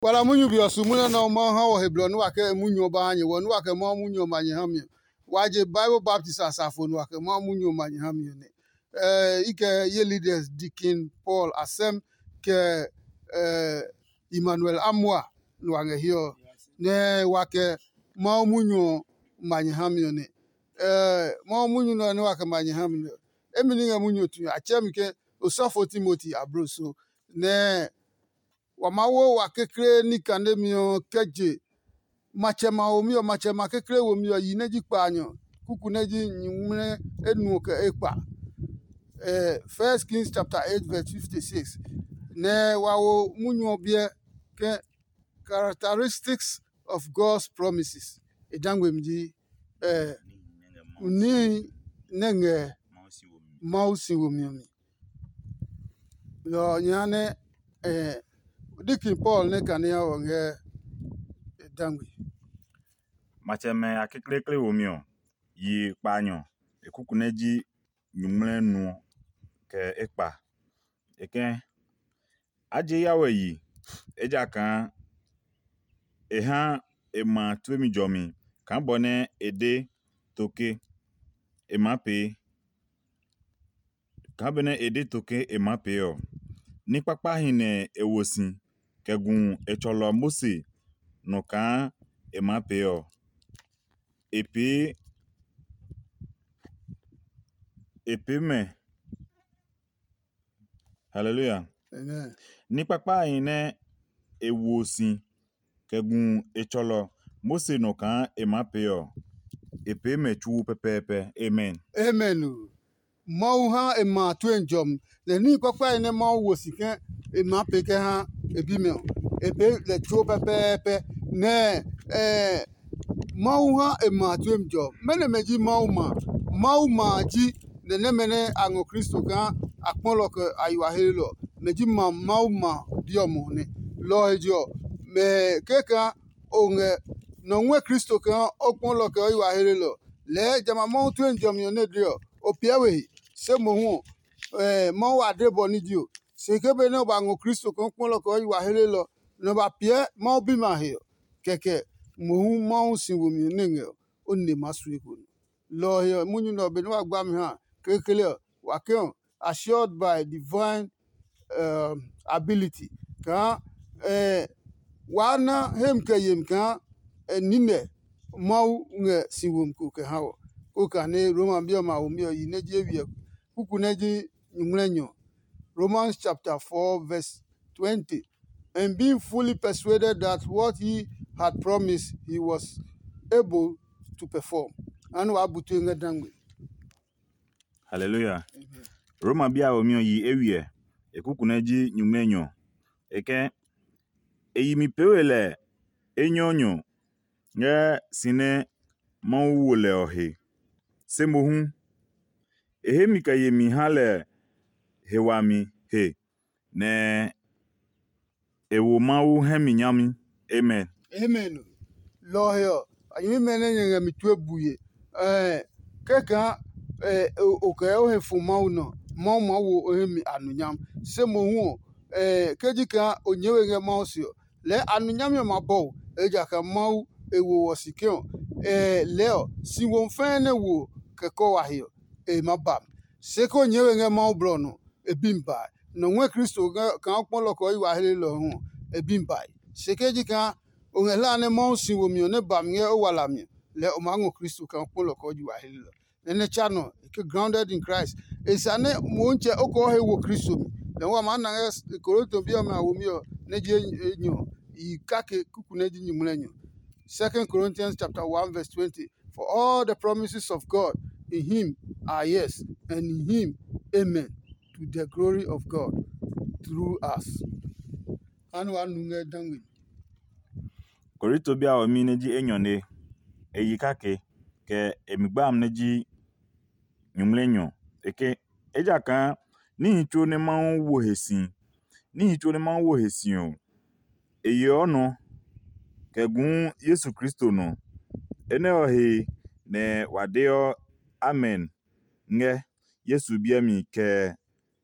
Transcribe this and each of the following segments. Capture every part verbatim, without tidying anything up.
Wala munyu be ɔ su munyu nɛ Mawu ha wɔ he blɔ nɛ wa kɛ munyu ɔ ba ha nyɛ, wɔ nɛ wa kɛ Mawu munyu ɔ ma nyɛ ha mi ɔ. Wa je Bible baptist asafo nɛ wa kɛ Mawu munyu ɔ ma nyɛ ha mi ɔ nɛ. Eh, i kɛ ye leaders Deacon Paul Asɛm kɛ eh, Emmanuel Amua nɛ wa ngɛ hiɛ ɔ, nɛ wa kɛ Mawu munyu ɔ ma nyɛ ha mi ɔ nɛ. Eh, Mawu munyu nɛ ɔ nɛ wa kɛ ma nyɛ ha mi nɛ ɔ, emi ní ngɛ munyu ɔ tue a tsɛ mi ke osɔfo Timoti ablo so, nɛ wa maa wo wa kekle ní kanemi ɔ kɛ je matsɛ ma womi ɔ, matsɛ ma kekle womi ɔ yi nɛ ji kpaanyɔ, kuku nɛ ji nyuŋmlɛ enuɔ kɛ ekpa. Eh, First Kings chapter eight verse fifty-six. Nɛ wa wo munyu ɔ biɛ ke characteristics of God's promises. E dangbe mi ji eh, nihi nɛ ngɛ Mawu si womi ɔ mi. Lɔ ɔ nya nɛ eh, Deacon Paul nɛ kane a wɔ ngɛ e dangbe. Matsɛmɛ a kekleekle womi ɔ, yi kpaanyɔ e kuku nɛ ji nyuŋmlɛ nu ɔ kɛ ekpa. E kɛ̃, a je ya wɛ yi, ejakaa e ha e ma tue mi jɔmi kaa bɔ nɛ e de to ke e maa pee. Kaa benɛ e de to ke e maa pee ɔ, ní kpakpahi nɛ e wo si kɛ gu e tsɔlɔ Mose nɔ kaa e maa pee ɔ, e pee e pee mɛ. Haleluya. Amen. Ní kpakpahi nɛ e wo si kɛ gu e tsɔlɔ Mose nɔ kaa e maa pee ɔ, e pee mɛ tsuo pɛpɛɛpɛ. Amen. Amen o. Mawu ha e ma a tue jɔmi, nɛ níhi kpakpahi nɛ Mawu wo si ke e maa pee kɛ ha e bimɛ ɔ, e pee lɛ tsuo pɛpɛɛpɛ. Nɛ eh, Mawu ha e ma a tue jɔmi. Mɛnɔ mɛ ji Mawu ma? Mawu ma a ji nɛ nɛmɛ nɛ a ngɔ Kristo kaa a kpɔlɔ kɛ a yi wa helelɔ, mɛ ji ma Mawu ma bi ɔ mɔ nɛ. Lɔ ɔ he je ɔ, mɛ kɛkaa o ngɛ nɔ ngɔɛ Kristo kaa o kpɔlɔ kɛ o yi wa helelɔ, lɛɛ jamɛ a Mawu tue jɔmi ɔ nɛ de ɔ, o piɛ we he. Se mohu ɔ, Mawu a de bɔ ní ji o. Se ke benɛ o ba ngɔ Kristo kaa o kpɔlɔ kɛ o yi wa helelɔ, nɛ o ba piɛ Mawu bimɛ a he ɔ, kɛkɛ mohu Mawu si womi ɔ nɛ ngɛ ɔ, o nine maa su eko nɔ. Lɔ ɔ he ɔ, munyu nɛ ɔ, benɛ wa gba mi ha kekle ɔ, wa ke ɔ, assured by divine um, ability kaa eh, waa na hem kɛ yemi kaa eh, nine Mawu ngɛ si womi ko kɛ ha wɔ. Ko kane Roma bi ɔmɛ a womi ɔ yi nɛ ji ewiɛ kuku nɛ ji nyuŋmlɛnyɔ. Romans chapter four verse twenty. And being fully persuaded that what he had promised he was able to perform. Anu wa bu tue ngɛ dangbe. Haleluya. Roma bi a womi ɔ yi eywiɛ, e kuku nɛ ji nyuŋmɛnyɔ. E kɛ e yi mi pee we lɛ enyɔnyɔ ngɛ si nɛ Mawu wo lɛ ɔ he. Se mohu, e hemi kɛ yemi ha lɛ he wami he, nɛ e wo Mawu hɛ mi nyami. Amen. Amen. Lɔ ɔ he ɔ, a nyɛmimɛ nɛ nyɛ ngɛ mi tue bue. Ɛɛ, kɛkaa o kɛ o he fo Mawu nɔ, Mawu maa wo o hɛ mi anunyam. Se mohu ɔ, ɛɛ, ke ji kaa o nyɛɛ we ngɛ Mawu se ɔ, lɛɛ anunyami ɔ ma bɔ o, ejakaa Mawu e wo wɔ si ke ɔ, ɛɛ, lɛɛ ɔ, si wo fɛɛ nɛ wo kɛ kɔ wa he ɔ, e ma ba mi. Se ke o nyɛɛ we ngɛ Mawu blɔ ɔ nɔ, e bi mi bae. Nɔ ngɔɛ Kristo kaa o kpɔlɔ kɛ o yi wa helelɔ ɔ hu ɔ, e bi mi bae. Se ke ji kaa o ngɛ hlaa nɛ Mawu si womi ɔ nɛ ba mi ngɛ o walami ɔ, lɛɛ o maa ngɔ Kristo kaa o kpɔlɔ kɛ o yi wa helelɔ. Nɛ nɛ tsa nɔ e ke grounded in Christ. E sa nɛ Motsɛ o kɛ o he wo Kristo mi. Lɛ hu a maa na ngɛ Korinto bi ɔmɛ a womi ɔ nɛ ji enyɔ yi kake kuku nɛ ji nyuŋmlɛnyɔ. Second Corinthians chapter one verse twenty. For all the promises of God in him are yes, and in him amen, to the glory of God through us. Anu wa nu ngɛ dangwe. Korinto bi a womi nɛ ji enyɔ ne e yi kake kɛ e mi gba amɛ nɛ ji nyuŋmlɛnyɔ. E ke ejakaa níhi tsuo nɛ Mawu wo he si, níhi tsuo nɛ Mawu wo he si ɔ, e yeɔ nɔ kɛ guu Yesu Kristo nɔ. Enɛ ɔ he nɛ wa deɔ amen ngɛ Yesu biɛ mi kɛ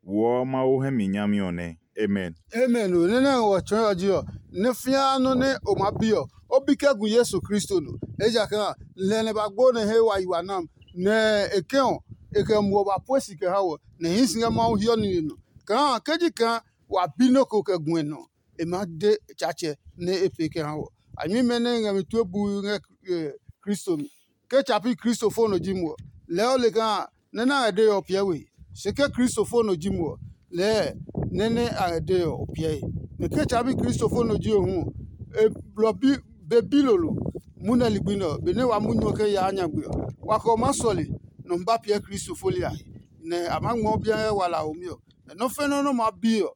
woɔ Mawu hɛ mi nyami ɔ nɛ. Amen. Amen o. Nɛ nɛ ngɛ wɔ tsɔɔe ɔ ji ɔ, nɛ fĩa nɔ́ nɛ o maa bi ɔ, o bi kɛ gu Yesu Kristo nɔ. Ejakaa a, lɛ nɛ ba gbo nɛ he wa yi wa nam, nɛ e kɛ ɔ, e kɛ muɔ ba pue si kɛ ha wɔ, nɛ hii si ngɛ Mawu hiɔ nine nɔ. Kaa ke ji kaa wa bi nɔ́ ko kɛ gu e nɔ, e maa de Tsaatsɛ nɛ e pee kɛ ha wɔ. A nyɛmimɛ nɛ ngɛ mi tue bui ngɛ Kristo mi. Ke tsa pi Kristo fo nɔ ji mo ɔ, lɛɛ o le kaa nɛ nɛ a ngɛ dee ɔ piɛ we. Se ke Kristo fo nɔ ji mo ɔ, lɛɛ nɛ nɛ a ngɛ dee ɔ piɛe. Nɛ ke tsa pi Kristo fo nɔ ji o hu ɔ, e blɔ bi be bilolo. Munɛ ligbi nɛ ɔ, benɛ wa munyu ɔ kɛ yaa nyagbe ɔ, wa kɛ ɔ maa sɔle nɔ ba piɛ Kristo fo liahi, nɛ a maa ngmɔ biɛ ngɛ walaho mi ɔ. Nɛ nɔ́ fɛnɛ nɔ́ maa bi ɔ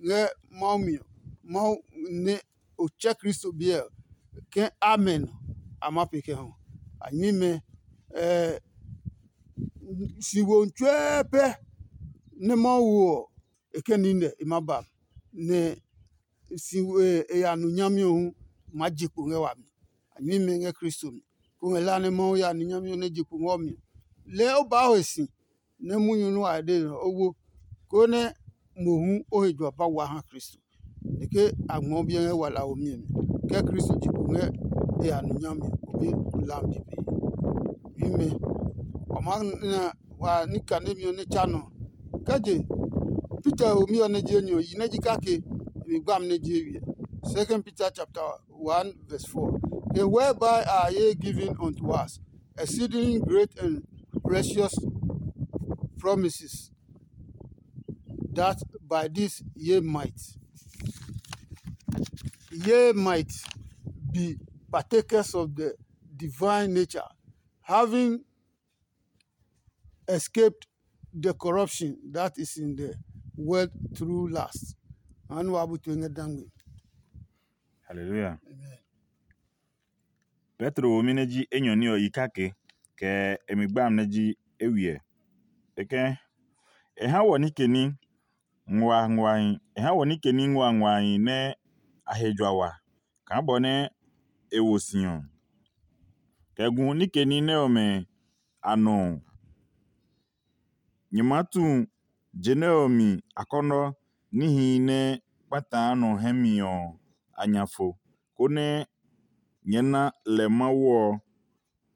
ngɛ Mawu mi ɔ, Mawu nɛ o tsɛ Kristo biɛ ɔ, ke amen a ma pe kɛ hɔ. A nyɛmimɛ, si wo tsuɛ pɛ nɛ Mawu wo ɔ, e kɛ nine e ma ba, nɛ si e ya nu nyami ɔ hu ma je kpo ngɛ wami. A nyɛmimɛ ngɛ Kristo mi. Ko ngɛ la nɛ Mawu ya nu nyami ɔ nɛ je kpo ngɛ ɔ mi ɔ, lɛɛ o baa ho e si nɛ munyu nɛ wa de nɛ o wo, konɛ mohu o he juɔ ba wa ha Kristo. Nɛ ke a ngmɔ biɛ ngɛ walaho mi ɔ mi, kɛ Kristo je kpo ngɛ e ya nu nyami ɔ, o be lam bibii. Mimɛ, wa maa na wa ní kanemi ɔ nɛ tsa nɔ. Kɛ je Peter ho mi ɔ nɛ je enyɔ yi nɛ ji kake, e mi gbami nɛ je e wiɛ. Second Peter chapter one verse four. The whereby are ye given unto us exceeding great and precious promises, that by this ye might ye might be partakers of the divine nature, having escaped the corruption that is in the world through lust. Anu wa bu to ngɛ dangbe. Hallelujah. Amen. Petro womi nɛ ji enyɔ ní ɔ yi kake, kɛ e mi gbami nɛ ji e wiɛ. E kɛ, e ha wɔ nike ní nguanguahi, e ha wɔ nike ní nguanguahi nɛ a he jua wa, kaa bɔ nɛ e wo si ɔ. Kɛ gu nike ní nɛ ɔmɛ a nɔ ɔ, nyɛ maa tu je nɛ ɔ mi akɔnɔ níhi nɛ kpataa nɔ hɛ mi ɔ a nya fo, konɛ nyɛɛ na lɛ Mawu ɔ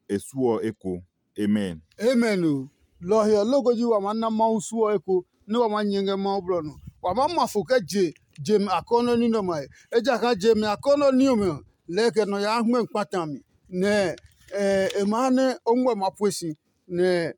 e suɔ eko. Amen. Amen o. Lɔ ɔ he ɔ, loko ji wa maa na Mawu suɔ eko nɛ wa maa nyɛ ngɛ Mawu blɔ nɔ. Wa maa ma fo kɛ je je mi akɔnɔ ní nɛ ɔmɛ a he. Ejakaa je mi akɔnɔ ní ɔmɛ ɔ, lɛɛ kɛ nɔ yaa hmɛ kpata mi, nɛ e ma ha nɛ o ngmɔ ma pue si, nɛ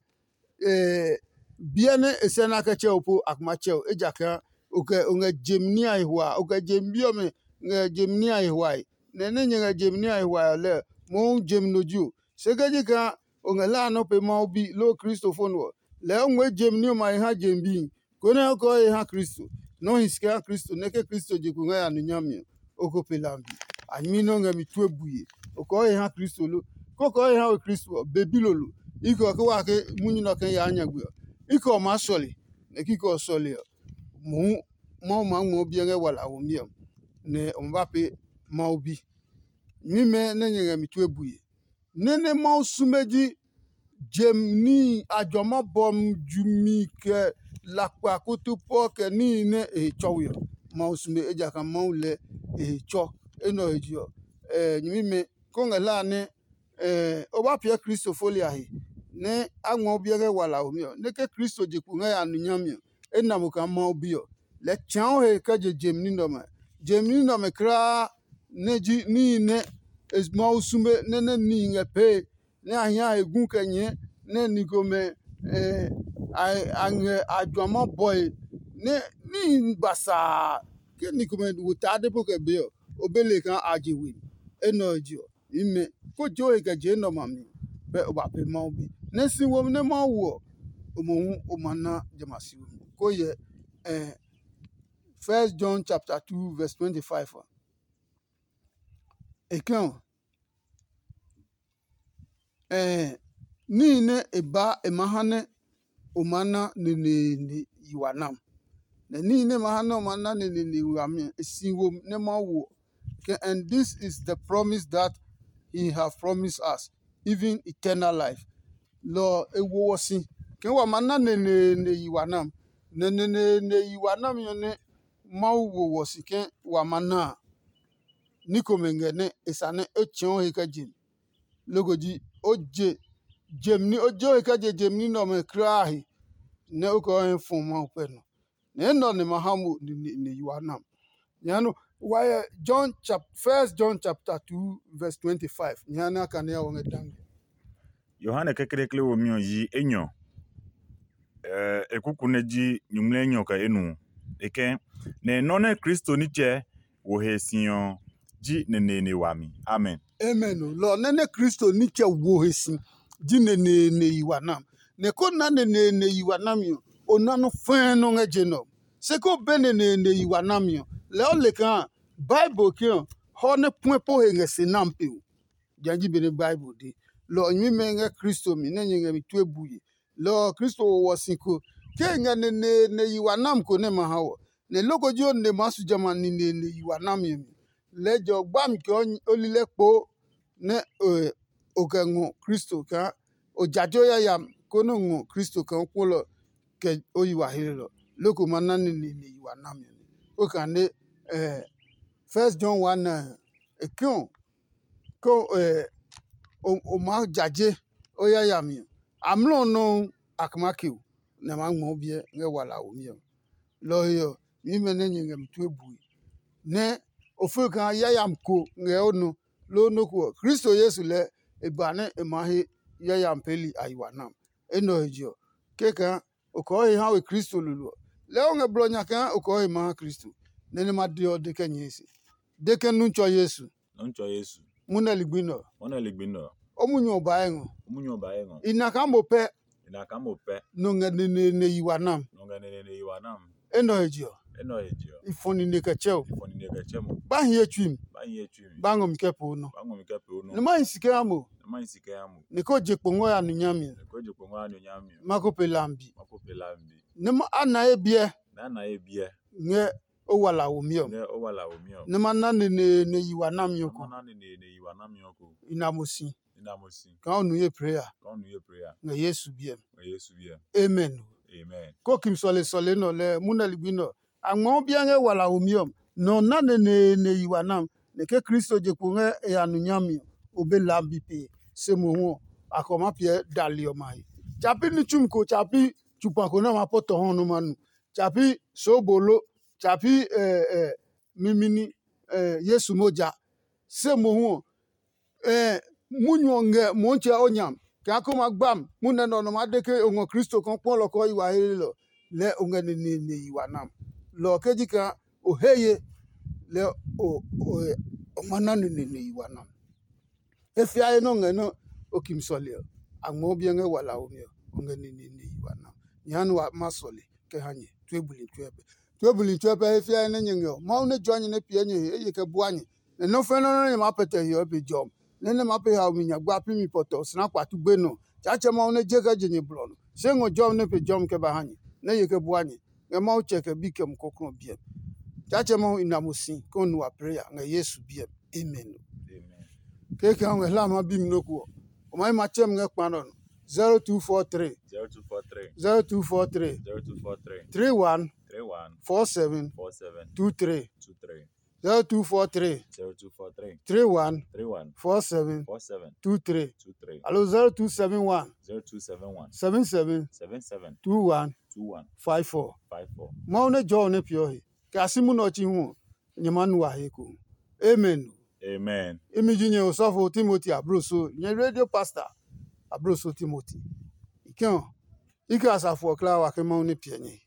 biɛ nɛ e sɛ nɛ a kɛ tsɛ o po a kuma tsɛ o, ejakaa o kɛ o ngɛ jemi ní a he hua, o kɛ jemi bi ɔmɛ ngɛ jemi ní a he huae. Nɛ nɛ nyɛ ngɛ jemi ní a he huae ɔ lɛɛ, mohu jemi no ji o. Se ke ji kaa o ngɛ hlaa nɔ́ pe Mawu bi loo Kristo fo nɔ ɔ, lɛɛ o ngmɛɛ jemi ní ɔmɛ a he ha jemi bihi, konɛ o kɛ o he ha Kristo. Nɔ́ hi si kɛ ha Kristo nɛ ke Kristo je kpo ngɛ ya nu nyami ɔ, o ko pe hlami. A nyɛmi nɛ o ngɛ mi tue bue, o kɛ o he ha Kristo lo? Ke o kɛ o he ha we Kristo ɔ, be bilolo. I kɛ ɔ ke wa ke munyu nɛ ɔ kɛ yaa nyagbe ɔ, i kɛ ɔ maa sɔle, nɛ kikɛ ɔ sɔle ɔ, mohu Mawu maa ngmɔ o biɛ ngɛ walaho mi ɔ, nɛ o ma ba pee Mawu bi. Nyɛmimɛ nɛ nyɛ ngɛ mi tue bue. Nɛ́ nɛ Mawu sume ji jem níhi a juama bɔmi jumi kɛ lakpa kutupɔ kɛ níhi nɛ e he tsɔ we ɔ. Mawu sume, ejakaa Mawu lɛɛ e he tsɔ. Enɛ ɔ he je ɔ, nyɛmimɛ, kó ngɛ hlaa nɛ o ba piɛ Kristo foli a he, nɛ a ngmɔ o biɛ ngɛ walaho mi ɔ, nɛ ke Kristo je kpo ngɛ ya nu nyami ɔ, e na mo kaa Mawu Bi ɔ. Lɛɛ tsã o he kɛ je jem ní nɛ ɔmɛ. Jem ní nɛ ɔmɛ kulaa nɛ ji níhi nɛ Mawu sume nɛ nɛ nihi ngɛ pee, nɛ a hia he gu kɛ nyɛɛ, nɛ ni komɛ a ngɛ a juama bɔe, nɛ níhi basaa ke ni komɛ wo taa de po kɛ be ɔ, o be le kaa a je we. Enɛ ɔ je ɔ, nyɛmimɛ, ko je o he kɛ je enɛ ɔmɛ a mi, bɛ o ba pee Mawu Bi. Nɛ si womi nɛ Mawu wo ɔ, o mohu o ma na jamɛ a si womi. Ko hyɛ First John chapter two verse twenty-five a. E kɛ ɔ, ɛɛ níhi nɛ e baa e maa ha nɛ o maa na neneene yi wa nam. Nɛ níhi nɛ e maa ha nɛ o maa na neneene yi wa mi ɔ, e si wo nɛ Mawu wo ɔ. Kɛ, and this is the promise that he have promised us, even eternal life. Lɔ ɔ e wo wɔ si kaa wa maa na neneene yi wa nam. Nɛ neneene yi wa nami ɔ nɛ Mawu wo wɔ si ke wa ma na a, ní komɛ ngɛ nɛ e sa nɛ o tsɛ̃ɔ he kɛ je mi. Loko ji o je jem ní o je o he kɛ je jem ní nɛ ɔmɛ kulaa a he, nɛ o kɛ o hɛ fɔ Mawu pɛ nɔ. Nɛ enɛ ɔ nɛ ma ha mo nine nɛ yi wa na. Nyɛ nɔ wa yɛ John chap First John chapter two verse twenty-five. Nyɛ ha nɛ a kane a wɔ ngɛ dange. Yohane kekleekle womi ɔ yi enyɔ. E kuku nɛ ji nyumu enyɔ kɛ enuɔ. E ke, nɛ nɔ́ nɛ Kristo nitsɛ wo he si ɔ ji neneene wami. Amen. Amen. Lɔ ɔ nɛ nɛ Kristo nitsɛ wo he si ji neneene yi wa nam. Nɛ ko na neneene yi wa nami ɔ, o na nɔ́ fɛɛ nɔ́ ngɛ je nɛ ɔ. Se ko be neneene yi wa nami ɔ, lɛɛ o le kaa Bible ke ɔ hɔ nɛ puɛ po he ngɛ se nam pe o. Jã ji benɛ Bible de. Lɔ ɔ nyɛmimɛ ngɛ Kristo mi nɛ nyɛ ngɛ mi tue bue. Lɔ ɔ Kristo wo wɔ si ko ke e ngɛ neneene yi wa nam ko nɛ ma ha wɔ. Nɛ loko ji o nine maa su jamɛ a neneene yi wa nami ɔ mi. Lɛɛ jɛ o gbami kɛ o lilɛ kpoo nɛ o kɛ ngɔ Kristo kaa o jaje o yayami konɛ o ngɔ Kristo kaa o kpolɔ kɛ o yi wa hlelɔ. Loko ma na neneene yi wa nami ɔ mi. O kane First John one nine e ke ɔ ke o maa jaje o yayami ɔ, amlɔ ɔ nɔuu a kɛ maa ke o, nɛ a maa ngmɔ o biɛ ngɛ wala a womi ɔ. Lɔ ɔ he ɔ, nyɛmimɛ nɛ nyɛ ngɛ mi tue bue, nɛ o fue kaa yayami ko ngɛ o nɔ, loo nɔ́ ko ɔ, Kristo Yesu lɛɛ e ba nɛ e maa he yayami peeli a yi wa nam. Enɛ ɔ he je ɔ, kɛkaa o kɔɔ he ha we Kristo lolo ɔ, lɛɛ o ngɛ blɔ nya kaa o kɔɔ he maa ha Kristo. Nɛ nɛ ma de ɔ de kɛ nyɛɛ se. De ke nu tsɔ Yesu. Nɔ́ tsɔ Yesu. Mu nɛ ligbi nɛ ɔ. Mɔ nɛ ligbi nɛ ɔ. O munyu ɔ ba ngɔ. O munyu ɔ ba ye ngɔ. I na kaa mo pɛ. I na kaa mo pɛ. Nɔ ngɛ neneene yi wa nam. Nɔ ngɛ neneene yi wa nam. Enɛ ɔ he je ɔ. Enɛ ɔ he je ɔ. I fɔ nine kɛ tsɛ o. I fɔ nine kɛ tsɛ mo. Ba hi ye tsui mi. Ba hi ye tsui mi. Ba ngɔ mi kɛ po nɔ. Ba ngɔ mi kɛ po nɔ. Nɛ ma hi si kɛ ha mo. Nɛ ma hi si kɛ ha mo. Nɛ ko je kpo ngɔ ya nu nyami ɔ. Nɛ ko je kpo ngɔ ya nu nyami ɔ. Ma ko pe lambi. Ma ko pe lambi. Nɛ ma a na ye biɛ. Nɛ a na ye biɛ. Ngɛ o wala womi ɔ. Ngɛ o wala womi ɔ. Nɛ ma na neneene yi wa nami ɔ ko. Ma na neneene yi wa nami ɔ ko. I na mo si. I na mo si. Kaa o nu ye prayer. Kaa o nu ye prayer. Ngɛ Yesu biɛ mi. Ngɛ Yesu biɛ mi. Amen. Amen. Ko kim sɔle sɔle nɔ lɛ mu nɛ ligbi nɔ. A ngmɔ biɛ ngɛ wala womi ɔ. Nɔ na neneene yi wa nam. Nɛ ke Kristo je kpo ngɛ e ya nu nyami ɔ, o be lambi pe. Se mohu ɔ, a kɔ ma piɛ dali ɔmɛ a he. Tsapi ní tsumi ko tsapi tsupa ko nɛ ma pɔ tɔ hɔ nɔ ma nu. Tsapi soobolo, tsapi mimini Yesu moja. Se mohu ɔ, munyu ɔ ngɛ Mɔɔtsɛ o nya, kaa ko ma gbam munɛ nɛ ɔ nɔ maa de ke o ngɔ Kristo kaa o kpɔ lɔ kɔɔ yi wa helelɔ, lɛɛ o ngɛ neneene yi wa nam. Lɔ ɔ ke ji kaa o he ye, lɛɛ o o ma na neneene yi wa nam. E fia he nɛ o ngɛ nɛ o kimi sɔle ɔ, a ngmɛɔ biɛ ngɛ walaho mi ɔ, o ngɛ neneene yi wa nam. Nyɛ ha nɛ wa ma sɔle kɛ ha nyɛ tue buli tsuɛ pɛ. Tue buli tsuɛ pɛ he fia he nɛ nyɛ ngɛ ɔ, Mawu nɛ jua nyɛ nɛ piɛ nyɛ he eye kɛ bua nyɛ, nɛ nɔ́ fɛnɛ nɔ́ nɛ nyɛ maa pɛtɛ he ɔ, e pe jɔmi, nɛ nɛ maa pe haomi nyagba pi mi pɔtɔ osina kpatu gbenɔ. Tsaatsɛ Mawu nɛ je kɛ je nyɛ blɔ nɔ, se ngɔ jɔmi nɛ pe jɔmi kɛ ba ha nyɛ, nɛ ye kɛ bua nyɛ, ngɛ Mawu tsɛ kɛ bi kɛ mukɔklɔ biɛ. Tsaatsɛ Mawu i na mo si kɛ o nu wa preya ngɛ Yesu biɛ mi. Amen. Kekɛ ɔ ngɛ hla ma bi mi nɔ́ ko ɔ, o ma yi ma tsɛ mi ngɛ kpa nɔ nɔ. zero two four three zero two four three zero two four three zero two four three three one three one four seven four seven two three two three zero two four three zero two four three three one three one four seven four seven two three two three alo zero two seven one zero two seven one seven seven seven seven two one two one five four. Five four. Mawu nɛ jɔ ɔ nɛ piɔ he kɛ a si munɛ ɔ tsi hu ɔ, nyɛ ma nu a he ko. Amen. Amen. Imi ji nyɛ osɔfo Timoti abloso, nyɛ radio pastor abloso Timoti. I kɛ ɔ, i kɛ asafo ɔ kla wa ke Mawu nɛ piɛ nyɛ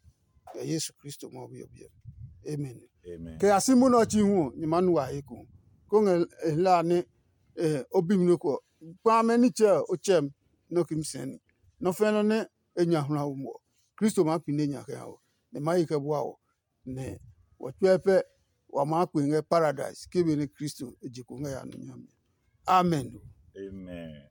kɛ Yesu Kristo Mawu biɛ biɛ. Amen. Amen. Kɛ a si munɛ ɔ tsi hu ɔ, nyɛ ma nu a he ko. Ko ngɛ e hla nɛ o bi mi nɔ ko ɔ, kpa mɛ nitsɛ ɔ o tsɛ mi nɔ ki mi sɛɛ ni. Nɔ fɛnɛ nɛ e nya hwla ɔ muɔ, Kristo maa pine nya kɛ ha wɔ, nɛ ma yi kɛ bua wɔ, nɛ wɔ tsuɛ pɛ wa maa kpe ngɛ paradise ke benɛ Kristo e je kpo ngɛ ya nɔ nyami. Amen. Amen.